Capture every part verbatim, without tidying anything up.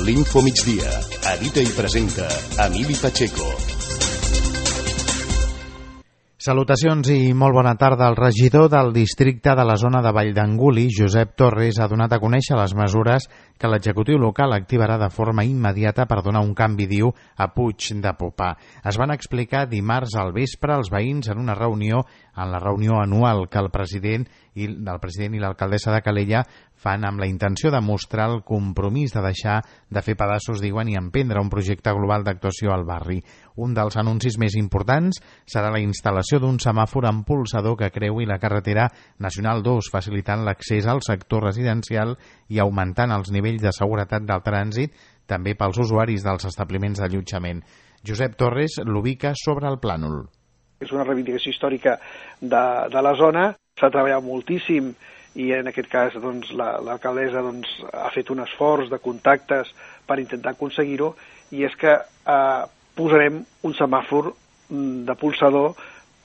L'Info Migdia. Edita i presenta Emili Pacheco. Salutacions i molt bona tarda. El regidor del districte de la zona de Valldanguli, Josep Torres, ha donat a conèixer les mesures que l'executiu local activarà de forma immediata per donar un canvi, diu, a Puig de Popà. Es van explicar dimarts al vespre als veïns en una reunió, en la reunió anual que el president i del president i l'alcaldessa de Calella fan amb la intenció de mostrar el compromís de deixar de fer pedaços, diuen, i emprendre un projecte global d'actuació al barri. Un dels anuncis més importants serà la instal·lació d'un semàfor amb pulsador que creui la carretera Nacional dos, facilitant l'accés al sector residencial i augmentant els nivells de seguretat del trànsit, també pels usuaris dels establiments d'allotjament. Josep Torres l'ubica sobre el plànol. És una reivindicació històrica de, de la zona, s'ha treballat moltíssim i en aquest cas doncs, l'alcaldessa la, doncs, ha fet un esforç de contactes per intentar aconseguir-ho, i és que eh, posarem un semàfor de pulsador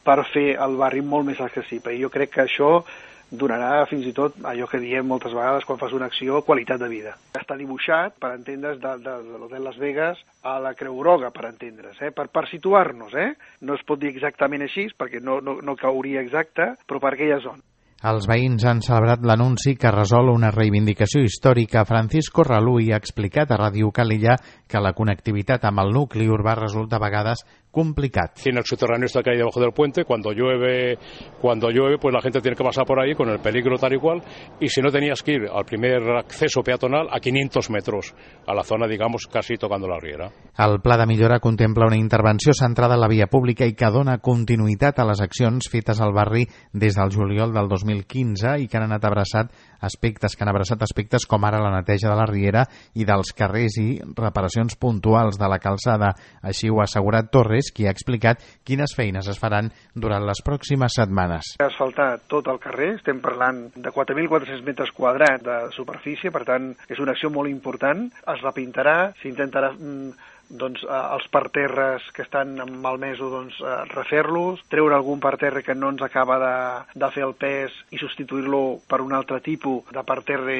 per fer el barri molt més accessible. I jo crec que això donarà fins i tot allò que diem moltes vegades quan fas una acció, qualitat de vida. Està dibuixat, per entendre's, de, de, de l'Hotel Las Vegas a la Creu Groga, per entendre's, eh? per, per situar-nos. Eh? No es pot dir exactament així, perquè no, no, no cauria exacte, però per aquella zona. Els veïns han celebrat l'anunci que resol una reivindicació històrica. Francisco Raluy ha explicat a Ràdio Calella que la connectivitat amb el nucli urbà resulta a vegades complicat. Tiene el subterráneo está que hay debajo del puente, cuando llueve, cuando llueve, pues la gente tiene que pasar por ahí con el peligro tal y cual, y si no tenías que ir al primer acceso peatonal a quinientos metros, a la zona, digamos, casi tocando la riera. El pla de millora contempla una intervenció centrada en la via pública i que dona continuïtat a les accions fetes al barri des del juliol del dos mil quinze i que han anat abraçat aspectes que han abraçat aspectes com ara la neteja de la riera i dels carrers i reparacions puntuals de la calçada. Així ho ha assegurat Torres, qui ha explicat quines feines es faran durant les pròximes setmanes. Ha asfaltat tot el carrer, estem parlant de quatre mil quatre-cents metres quadrats de superfície, per tant és una acció molt important. Es repintarà, s'intentarà doncs, els parterres que estan malmesos, doncs, refer-los, treure algun parterre que no ens acaba de, de fer el pes i substituir-lo per un altre tipus de parterre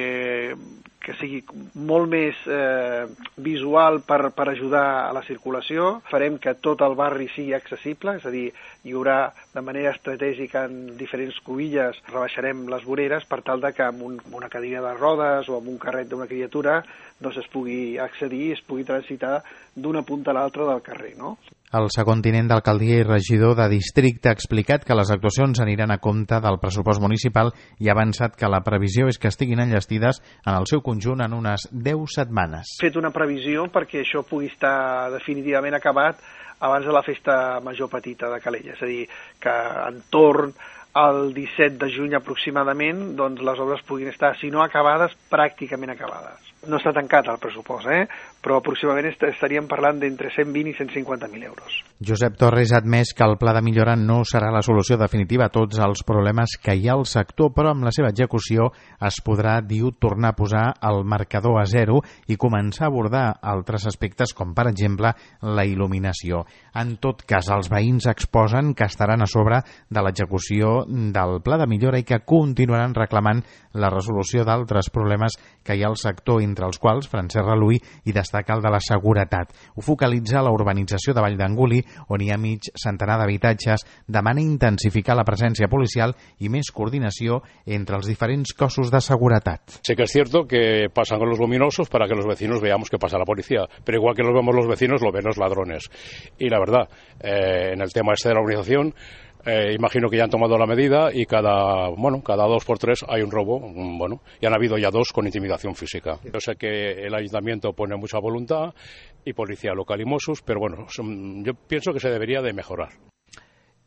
que sigui molt més eh, visual per, per ajudar a la circulació. Farem que tot el barri sigui accessible, és a dir, hi haurà de manera estratègica en diferents cruïlles, rebaixarem les voreres per tal de que amb, un, amb una cadira de rodes o amb un carret d'una criatura doncs es pugui accedir, es pugui transitar d'una punta a l'altra del carrer, no? El segon tinent d'alcaldia i regidor de districte ha explicat que les actuacions aniran a compte del pressupost municipal i ha avançat que la previsió és que estiguin enllestides en el seu conjunt en unes deu setmanes. He fet una previsió perquè això pugui estar definitivament acabat abans de la festa major petita de Calella, és a dir, que entorn al disset de juny aproximadament doncs les obres puguin estar, si no acabades, pràcticament acabades. No està tancat el pressupost, eh? però aproximadament estaríem parlant d'entre cent vint i cent cinquanta mil euros. Josep Torres ha admès que el pla de millora no serà la solució definitiva a tots els problemes que hi ha al sector, però amb la seva execució es podrà, diu, tornar a posar el marcador a zero i començar a abordar altres aspectes com, per exemple, la il·luminació. En tot cas, els veïns exposen que estaran a sobre de l'execució del pla de millora i que continuaran reclamant la resolució d'altres problemes que hi ha al sector, entre els quals Francesc Raluy i destaca el de la seguretat. Ho focalitza a la urbanització de Valldanguli, on hi ha mig centenar d'habitatges, demana intensificar la presència policial i més coordinació entre els diferents cossos de seguretat. Sí que es cierto que pasan con los luminosos para que los vecinos veamos que pasa la policía, pero igual que los vemos los vecinos, lo ven los ladrones. Y la verdad, eh, en el tema este de la organización, Eh, imagino que ya han tomado la medida y cada bueno cada dos por tres hay un robo, bueno, y han habido ya dos con intimidación física. Yo sé que el ayuntamiento pone mucha voluntad y policía local y Mossos, pero bueno, son, yo pienso que se debería de mejorar.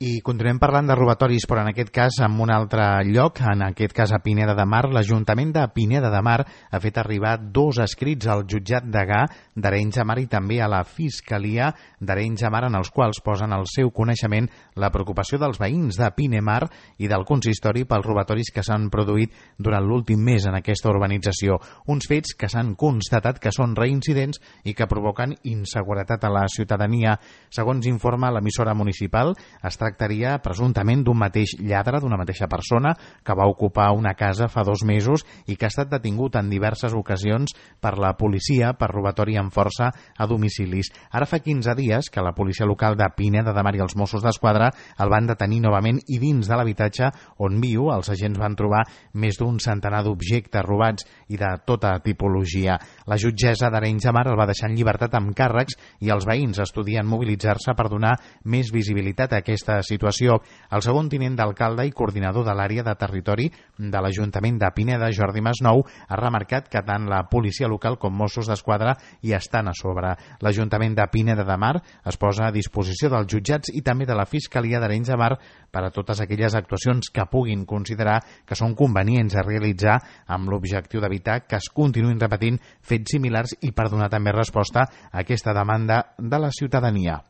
I continuem parlant de robatoris, però en aquest cas en un altre lloc, en aquest cas a Pineda de Mar. L'Ajuntament de Pineda de Mar ha fet arribar dos escrits al jutjat degà d'Arenys de Mar i també a la Fiscalia d'Arenys de Mar, en els quals posen al seu coneixement la preocupació dels veïns de Pinemar i del consistori pels robatoris que s'han produït durant l'últim mes en aquesta urbanització. Uns fets que s'han constatat que són reincidents i que provoquen inseguretat a la ciutadania. Segons informa l'emissora municipal, es tracta tractaria presumptament d'un mateix lladre, d'una mateixa persona, que va ocupar una casa fa dos mesos i que ha estat detingut en diverses ocasions per la policia per robatori amb força a domicilis. Ara fa quinze dies que la policia local de Pineda de Mar i els Mossos d'Esquadra el van detenir novament i dins de l'habitatge on viu els agents van trobar més d'un centenar d'objectes robats i de tota tipologia. La jutgessa d'Arenys de Mar el va deixar en llibertat amb càrrecs i els veïns estudien mobilitzar-se per donar més visibilitat a aquesta situació. El segon tinent d'alcalde i coordinador de l'àrea de territori de l'Ajuntament de Pineda, Jordi Masnou, ha remarcat que tant la policia local com Mossos d'Esquadra hi estan a sobre. L'Ajuntament de Pineda de Mar es posa a disposició dels jutjats i també de la Fiscalia d'Arenys de Mar per a totes aquelles actuacions que puguin considerar que són convenients a realitzar amb l'objectiu d'evitar que es continuïn repetint fets similars i per donar també resposta a aquesta demanda de la ciutadania.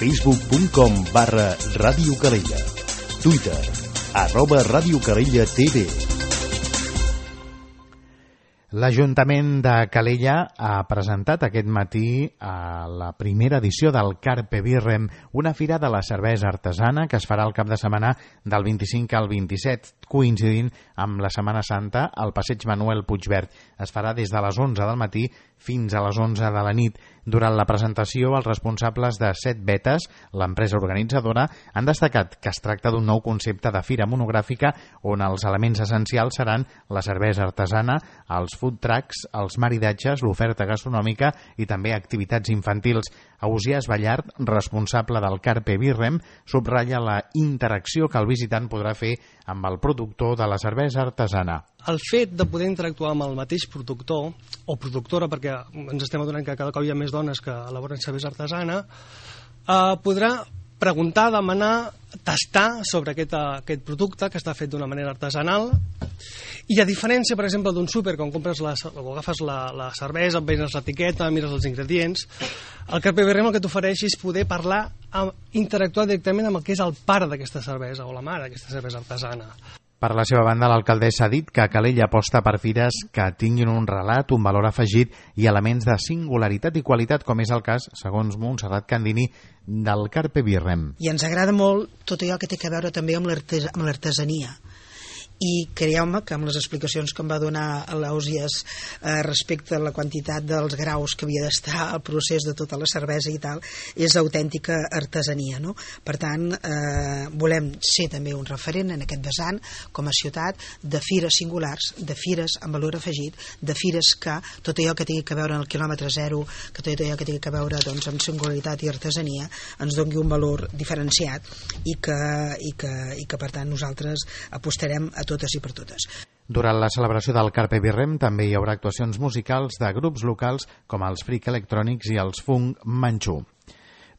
facebook punt com barra Ràdio Calella. Twitter, arroba Ràdio Calella T V. L'Ajuntament de Calella ha presentat aquest matí a la primera edició del Carpe Birrem, una fira de la cervesa artesana que es farà el cap de setmana del vint-i-cinc al vint-i-set, coincidint amb la Setmana Santa al passeig Manuel Puigverd. Es farà des de les onze del matí fins a les onze de la nit. Durant la presentació, els responsables de Set Betes, l'empresa organitzadora, han destacat que es tracta d'un nou concepte de fira monogràfica on els elements essencials seran la cervesa artesana, els food trucks, els maridatges, l'oferta gastronòmica i també activitats infantils. Ausiàs Ballart, responsable del Carpe Birrem, subratlla la interacció que el visitant podrà fer amb el productor de la cervesa artesana. El fet de poder interactuar amb el mateix productor o productora, perquè ens estem adonant que cada cop hi ha més dones que elaboren cervesa artesana, eh, podrà preguntar, demanar, tastar sobre aquest, aquest producte que està fet d'una manera artesanal. I a diferència, per exemple, d'un súper, quan compres la, o agafes la, la cervesa, veus l'etiqueta, mires els ingredients, el Carpe Birrem el que t'ofereix és poder parlar, interactuar directament amb el que és el pare d'aquesta cervesa o la mare d'aquesta cervesa artesana. Per la seva banda, l'alcaldessa ha dit que Calella aposta per fires que tinguin un relat, un valor afegit i elements de singularitat i qualitat, com és el cas, segons Montserrat Candini, del Carpe Birrem. I ens agrada molt tot allò que té a veure també amb l'artesania. I creieu-me que amb les explicacions que em va donar l'Ausiàs eh, respecte a la quantitat dels graus que havia d'estar al procés de tota la cervesa i tal, és autèntica artesania, no? Per tant, eh, volem ser també un referent en aquest vessant com a ciutat de fires singulars, de fires amb valor afegit, de fires que tot allò que tingui a veure en el quilòmetre zero, que tot allò que tingui a veure doncs, amb singularitat i artesania ens doni un valor diferenciat i que, i que, i que per tant nosaltres apostarem a totes i per totes. Durant la celebració del Carpe Birrem també hi haurà actuacions musicals de grups locals com els Freak Electronics i els Funk Manchu.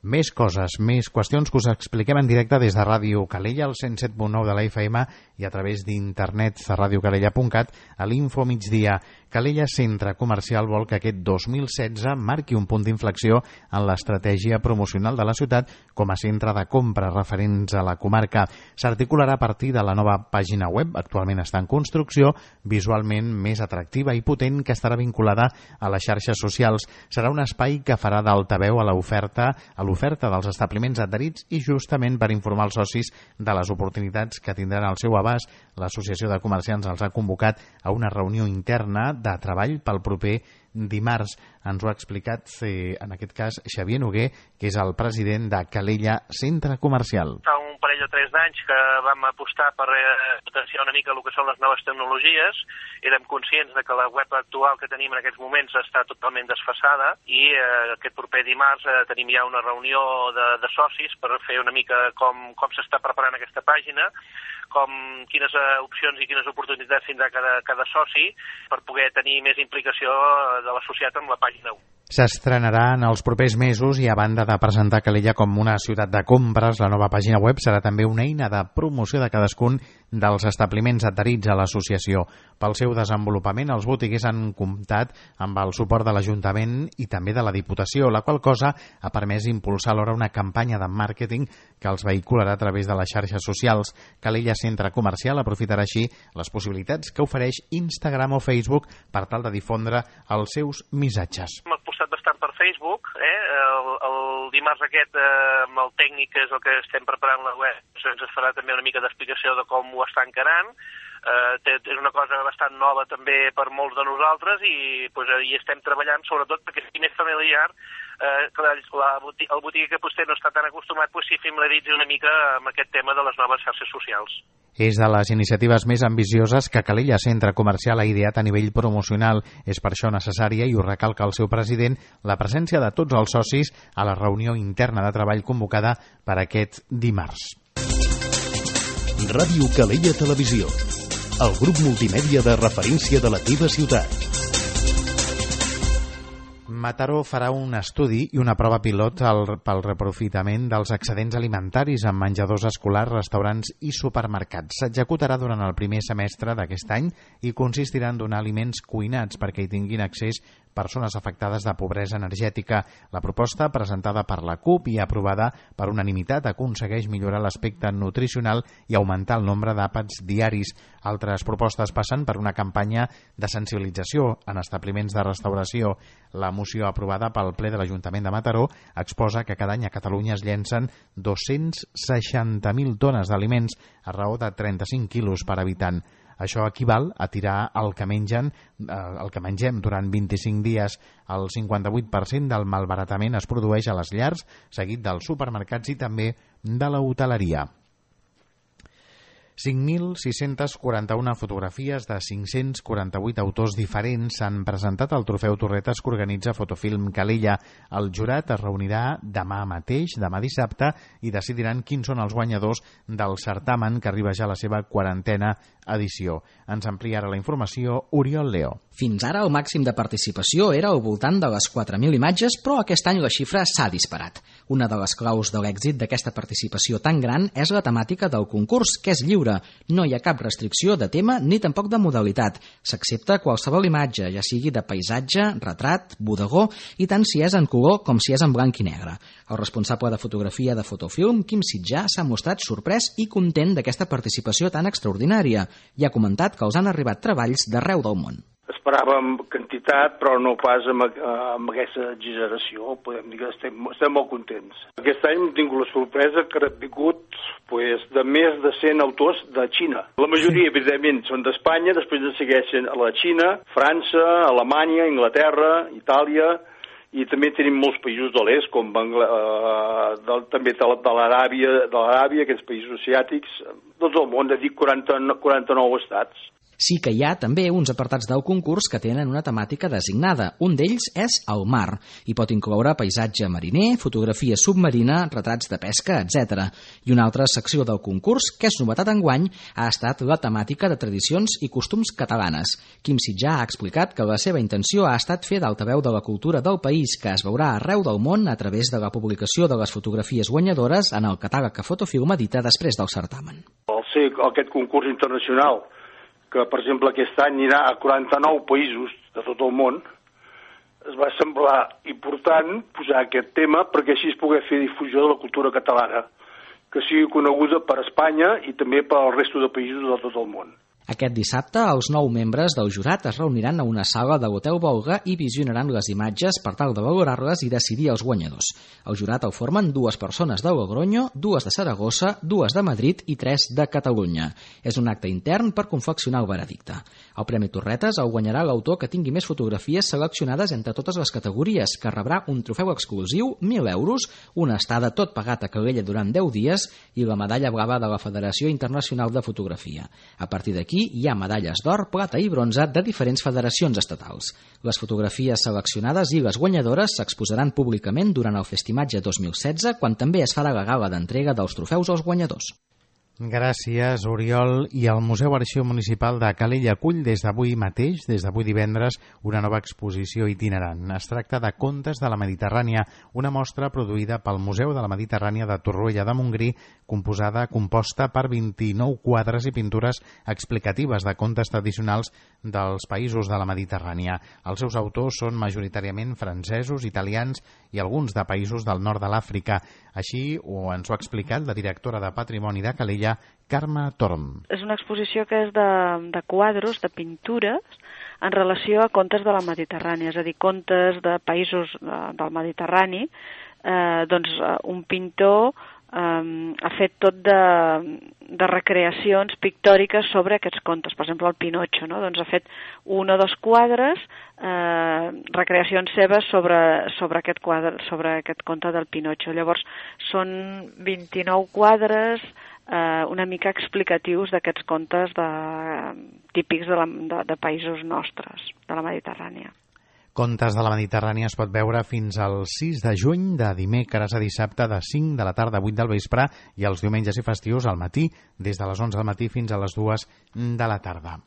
Més coses, més qüestions que us expliquem en directe des de Ràdio Calella, al cent set punt nou de la F M i a través d'internet a radiocalella punt cat a l'Info Migdia. Calella Centre Comercial vol que aquest dos mil setze marqui un punt d'inflexió en l'estratègia promocional de la ciutat com a centre de compra referents a la comarca. S'articularà a partir de la nova pàgina web, actualment està en construcció, visualment més atractiva i potent, que estarà vinculada a les xarxes socials. Serà un espai que farà d'altaveu a l'oferta a l'oferta dels establiments adherits i justament per informar els socis de les oportunitats que tindran al seu abast, l'Associació de Comerciants els ha convocat a una reunió interna de treball pel proper dimarts. Ens ho ha explicat, eh, en aquest cas, Xavier Noguer, que és el president de Calella Centre Comercial. Fa un parell o tres d'anys que vam apostar per eh, potenciar una mica el que són les noves tecnologies. Érem conscients de que la web actual que tenim en aquests moments està totalment desfasada i eh, aquest proper dimarts eh, tenim ja una reunió de, de socis per fer una mica com, com s'està preparant aquesta pàgina, com quines eh, opcions i quines oportunitats tindrà cada, cada soci per poder tenir més implicació de l'associat amb la pàgina web. S'estrenarà en els propers mesos i a banda de presentar Calella com una ciutat de compres, la nova pàgina web serà també una eina de promoció de cadascun dels establiments adherits a l'associació. Pel seu desenvolupament, els botiguers han comptat amb el suport de l'Ajuntament i també de la Diputació, la qual cosa ha permès impulsar alhora una campanya de màrqueting que els vehicularà a través de les xarxes socials. Calella Centre Comercial aprofitarà així les possibilitats que ofereix Instagram o Facebook per tal de difondre els seus missatges. Hem apostat bastant per Facebook Facebook, eh? el, el dimarts aquest eh, amb el tècnic, que és el que estem preparant la web, ens farà també una mica d'explicació de com ho està encarant. Uh, és una cosa bastant nova també per molts de nosaltres i pues, hi estem treballant sobretot perquè sigui més familiar, uh, que la, la, el botiguer poster no està tan acostumat, pues, si familiaritzi una mica amb aquest tema de les noves xarxes socials. És de les iniciatives més ambicioses que Calella Centre Comercial ha ideat a nivell promocional. És per això necessària, i ho recalca el seu president, la presència de tots els socis a la reunió interna de treball convocada per aquest dimarts. Ràdio Calella Televisió, el grup multimèdia de referència de la teva ciutat. Mataró farà un estudi i una prova pilot pel reprofitament dels excedents alimentaris en menjadors escolars, restaurants i supermercats. S'executarà durant el primer semestre d'aquest any i consistirà en donar aliments cuinats perquè hi tinguin accés persones afectades de pobresa energètica. La proposta, presentada per la CUP i aprovada per unanimitat, aconsegueix millorar l'aspecte nutricional i augmentar el nombre d'àpats diaris. Altres propostes passen per una campanya de sensibilització en establiments de restauració. La moció aprovada pel ple de l'Ajuntament de Mataró exposa que cada any a Catalunya es llencen dos-cents seixanta mil tones d'aliments a raó de trenta-cinc quilos per habitant. Això equival a tirar el que mengen, el que mengem durant vint-i-cinc dies. El cinquanta-vuit per cent del malbaratament es produeix a les llars, seguit dels supermercats i també de la hoteleria. cinc mil sis-centes quaranta-una fotografies de cinc-cents quaranta-vuit autors diferents s'han presentat al trofeu Torretes que organitza Fotofilm Calella. El jurat es reunirà demà mateix, demà dissabte, i decidiran quins són els guanyadors del certamen, que arriba ja a la seva quarantena edició. Ens amplia ara la informació Oriol Leo. Fins ara el màxim de participació era al voltant de les quatre mil imatges, però aquest any la xifra s'ha disparat. Una de les claus de l'èxit d'aquesta participació tan gran és la temàtica del concurs, que és lliure. No hi ha cap restricció de tema ni tampoc de modalitat. S'accepta qualsevol imatge, ja sigui de paisatge, retrat, bodegó, i tant si és en color com si és en blanc i negre. El responsable de fotografia de Fotofilm, Quim Sitjà, s'ha mostrat sorprès i content d'aquesta participació tan extraordinària i ha comentat que els han arribat treballs d'arreu del món. Esperàvem quantitat, però no pas amb, amb aquesta exageració. Podem dir que estem, estem molt contents. Aquest any hem tingut la sorpresa que han vingut pues, de més de cent autors de Xina. La majoria, evidentment, són d'Espanya, després ens segueixen a la Xina, França, Alemanya, Anglaterra, Itàlia, i també tenim molts països de l'est, com Bangla, eh, de, també de l'Aràbia, de l'Aràbia, aquests països asiàtics, tot el món, de dir quaranta, quaranta-nou estats. Sí que hi ha també uns apartats del concurs que tenen una temàtica designada. Un d'ells és el mar, i pot incloure paisatge mariner, fotografia submarina, retrats de pesca, etcètera. I una altra secció del concurs, que és novetat enguany, ha estat la temàtica de tradicions i costums catalanes. Quim Sitjà ha explicat que la seva intenció ha estat fer d'altaveu de la cultura del país, que es veurà arreu del món a través de la publicació de les fotografies guanyadores en el catàleg que Fotofilm edita després del certamen. Al ser aquest concurs internacional, que, per exemple, aquest any anirà a quaranta-nou països de tot el món, es va semblar important posar aquest tema perquè així es pugui fer difusió de la cultura catalana, que sigui coneguda per Espanya i també per al resto de països de tot el món. Aquest dissabte, els nou membres del jurat es reuniran a una sala de l'Hotel Volga i visionaran les imatges per tal de valorar-les i decidir els guanyadors. El jurat el formen dues persones de Logroño, dues de Saragossa, dues de Madrid i tres de Catalunya. És un acte intern per confeccionar el veredicte. El Premi Torretes el guanyarà l'autor que tingui més fotografies seleccionades entre totes les categories, que rebrà un trofeu exclusiu, mil euros, una estada tot pagat a Calella durant deu dies i la medalla blava de la Federació Internacional de Fotografia. A partir d'aquí, Aquí hi ha medalles d'or, plata i bronze de diferents federacions estatals. Les fotografies seleccionades i les guanyadores s'exposaran públicament durant el Festimatge dos mil setze, quan també es farà la gala d'entrega dels trofeus als guanyadors. Gràcies, Oriol. I el Museu Arxiu Municipal de Calella acull des d'avui mateix, des d'avui divendres, una nova exposició itinerant. Es tracta de Contes de la Mediterrània, una mostra produïda pel Museu de la Mediterrània de Torroella de Montgrí, composada, composta per vint-i-nou quadres i pintures explicatives de contes tradicionals dels països de la Mediterrània. Els seus autors són majoritàriament francesos, italians i alguns de països del nord de l'Àfrica. Així ho ens ho ha explicat la directora de Patrimoni de Calella, Carme Torm. És una exposició que és de, de quadros, de pintures, en relació a contes de la Mediterrània, és a dir, contes de països del Mediterrani. Eh, doncs un pintor eh, ha fet tot de, de recreacions pictòriques sobre aquests contes. Per exemple, el Pinocho, no? Doncs ha fet un o dos quadres, eh, recreacions seves sobre, sobre, aquest quadre, sobre aquest conte del Pinocho. Llavors, són vint-i-nou quadres eh, una mica explicatius d'aquests contes de, típics de, la, de, de països nostres, de la Mediterrània. Contes de la Mediterrània es pot veure fins al sis de juny, de dimecres a dissabte, de cinc de la tarda a vuit del vespre, i els diumenges i festius al matí, des de les onze del matí fins a les dues de la tarda.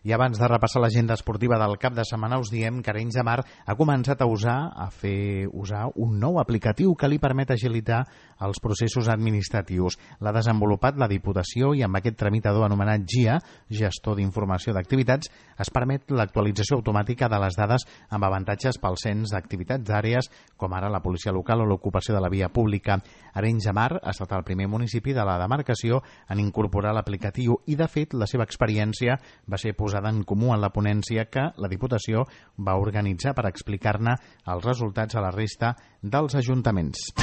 I abans de repassar l'agenda esportiva del cap de setmana us diem que Arenys de Mar ha començat a usar a fer usar un nou aplicatiu que li permet agilitar els processos administratius. L'ha desenvolupat la Diputació i amb aquest tramitador anomenat G I A, Gestor d'Informació d'Activitats, es permet l'actualització automàtica de les dades amb avantatges pel cens d'activitats d'àrees com ara la policia local o l'ocupació de la via pública. Arenys de Mar ha estat el primer municipi de la demarcació en incorporar l'aplicatiu i, de fet, la seva experiència va ser posada en comú en la ponència que la Diputació va organitzar per explicar-ne els resultats a la resta dels ajuntaments.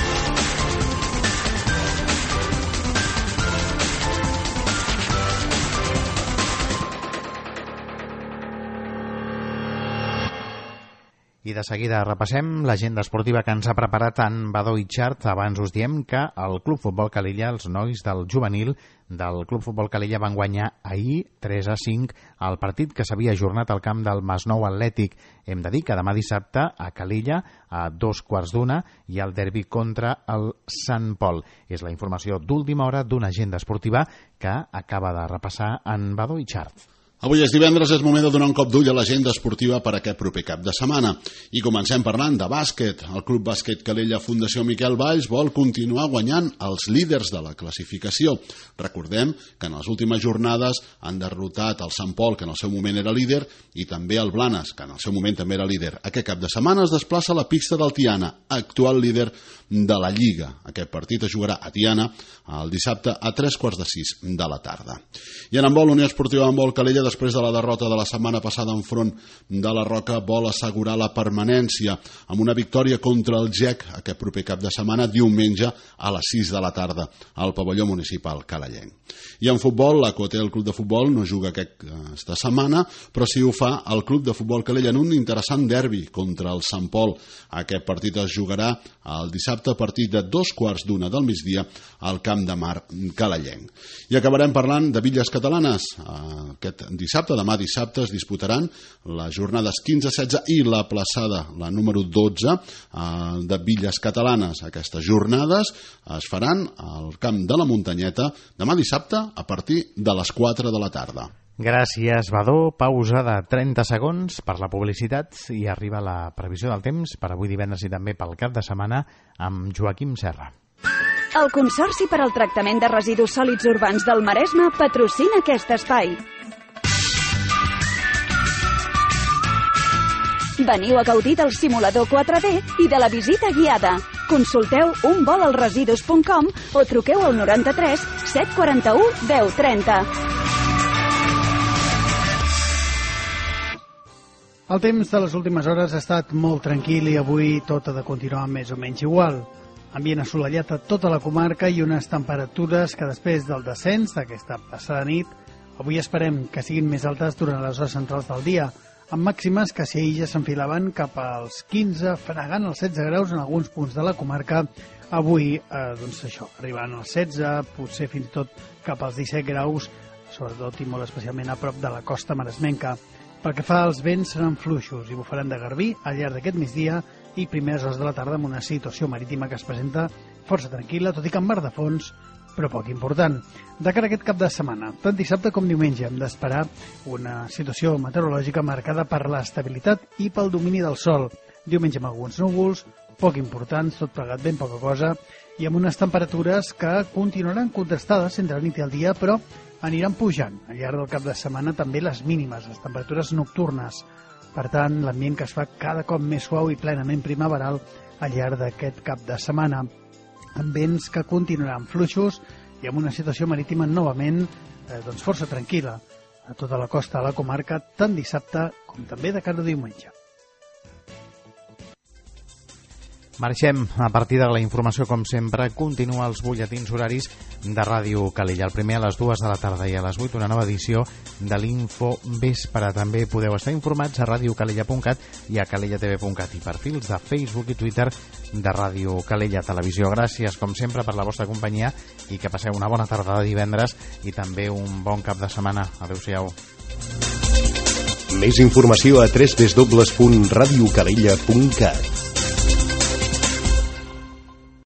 I de seguida repassem l'agenda esportiva que ens ha preparat en Badó Itxart. Abans us diem que el Club Futbol Calella, els nois del juvenil del Club Futbol Calella, van guanyar ahir tres a cinc el partit que s'havia ajornat al camp del Masnou Atlètic. Hem de dir que demà dissabte a Calella, a dos quarts d'una, hi ha el derbi contra el Sant Pol. És la informació d'última hora d'una agenda esportiva que acaba de repassar en Badó Itxart. Avui és divendres, és moment de donar un cop d'ull a l'agenda esportiva per aquest proper cap de setmana. I comencem parlant de bàsquet. El Club Bàsquet Calella Fundació Miquel Valls vol continuar guanyant els líders de la classificació. Recordem que en les últimes jornades han derrotat el Sant Pol, que en el seu moment era líder, i també el Blanes, que en el seu moment també era líder. Aquest cap de setmana es desplaça a la pista del Tiana, actual líder de la Lliga. Aquest partit es jugarà a Tiana el dissabte a tres quarts de sis de la tarda. I en handbol, Unió Esportiva Handbol Calella, després de la derrota de la setmana passada enfront de la Roca, vol assegurar la permanència amb una victòria contra el G E C aquest proper cap de setmana, diumenge a les sis de la tarda al pavelló municipal calellenc. I en futbol, la Cotel, el club de futbol, no juga aquesta setmana, però sí ho fa el club de futbol Calella en un interessant derbi contra el Sant Pol. Aquest partit es jugarà el dissabte a partir de dos quarts d'una del migdia al Camp de Mar calellenc. I acabarem parlant de Villes Catalanes. Aquest dissabte, demà dissabte, es disputaran les jornades quinze setze i la plaçada, la número dotze, de Villes Catalanes. Aquestes jornades es faran al Camp de la Muntanyeta demà dissabte a partir de les quatre de la tarda. Gràcies, Badó. Pausa de trenta segons per la publicitat i arriba la previsió del temps per avui divendres i també pel cap de setmana amb Joaquim Serra. El Consorci per al Tractament de Residus Sòlids Urbans del Maresme patrocina aquest espai. Veniu a gaudir del simulador quatre D i de la visita guiada. Consulteu un vol als residus punt com o truqueu al noranta-tres set quaranta-u deu trenta. El temps de les últimes hores ha estat molt tranquil i avui tot ha de continuar més o menys igual. Ambient assolellat a tota la comarca i unes temperatures que després del descens d'aquesta passada nit avui esperem que siguin més altes durant les hores centrals del dia, amb màximes que si ja s'enfilaven cap als quinze, fregant els setze graus en alguns punts de la comarca. Avui, eh, doncs això, arribant als setze, potser fins i tot cap als disset graus, sobretot i molt especialment a prop de la costa maresmenca. Pel que fa als vents, seran fluixos i bufaran de garbí al llarg d'aquest migdia i primeres hores de la tarda amb una situació marítima que es presenta força tranquil·la, tot i que en mar de fons, però poc important. De cara a aquest cap de setmana, tant dissabte com diumenge, hem d'esperar una situació meteorològica marcada per l'estabilitat i pel domini del sol. Diumenge amb alguns núvols, poc importants, tot plegat ben poca cosa, i amb unes temperatures que continuaran contrastades entre la nit i el dia, però aniran pujant. Al llarg del cap de setmana també les mínimes, les temperatures nocturnes. Per tant, l'ambient que es fa cada cop més suau i plenament primaveral al llarg d'aquest cap de setmana, amb vents que continuaran fluixos i amb una situació marítima novament eh, doncs força tranquil·la a tota la costa de la comarca, tant dissabte com també de cada diumenge. Marxem. A partir de la informació, com sempre, continua els butlletins horaris de Ràdio Calella. El primer a les dues de la tarda i a les vuit una nova edició de l'Info Vespre. També podeu estar informats a radiocalella punt cat i a calella t v punt cat i perfils de Facebook i Twitter de Ràdio Calella Televisió. Gràcies, com sempre, per la vostra companyia i que passeu una bona tarda de divendres i també un bon cap de setmana. Adéu-siau. Més informació a w w w punt radiocalella punt cat.